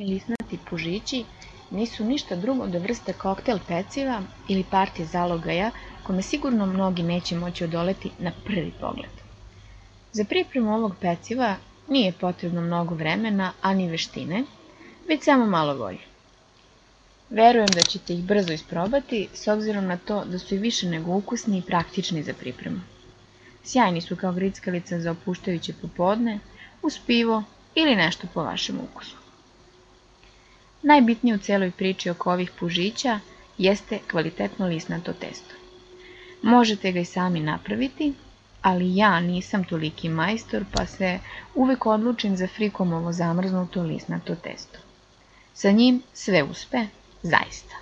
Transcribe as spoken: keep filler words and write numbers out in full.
Lisnati pužići nisu ništa drugo do vrste koktel peciva ili partije zalogaja kome sigurno mnogi neće moći odoleti na prvi pogled. Za pripremu ovog peciva nije potrebno mnogo vremena, ani veštine, već samo malo volje. Verujem da ćete ih brzo isprobati, s obzirom na to da su i više nego ukusni i praktični za pripremu. Sjajni su kao grickalica za opuštajuće popodne, uz pivo ili nešto po vašem ukusu. Najbitnije u celoj priči oko ovih pužića jeste kvalitetno lisnato testo. Možete ga i sami napraviti, ali ja nisam toliki majstor, pa se uvek odlučim za Frikomovo zamrznuto lisnato testo. Sa njim sve uspe, zaista.